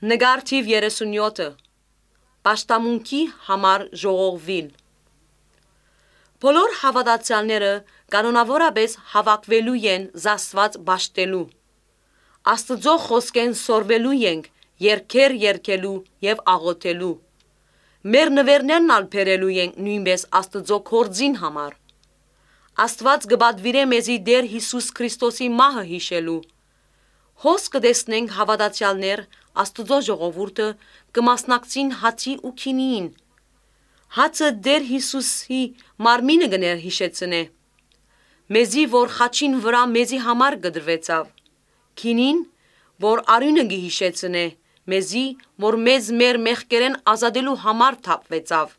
Նկար թիվ 37 Պաշտամունքի համար ժողովին Բոլոր հավատացյալները կանոնավորապես հավաքվելու են զասված բաշտելու Աստծո խոսքեն սորվելու ենք երգեր երգելու և աղոթելու Մեր նվերներն ալ բերելու ենք նույնպես Աստծո գործին համար Աստված կպատվիրե մեզի Տեր Հիսուս Քրիստոսի մահը հիշելու Հոս կտեսնենք հավատացյալներ Աստծո ժողովուրդը կմասնակցին հացի ու քինիին Հացը Տեր Հիսուսի մարմինը կներհիշեցնե Մեզի որ խաչին վրա մեզի համար կդրվեցավ Քինին որ արյունը կհիշեցնե մեզի որ մեզ մեր մեղքերեն ազատելու համար թափվեցավ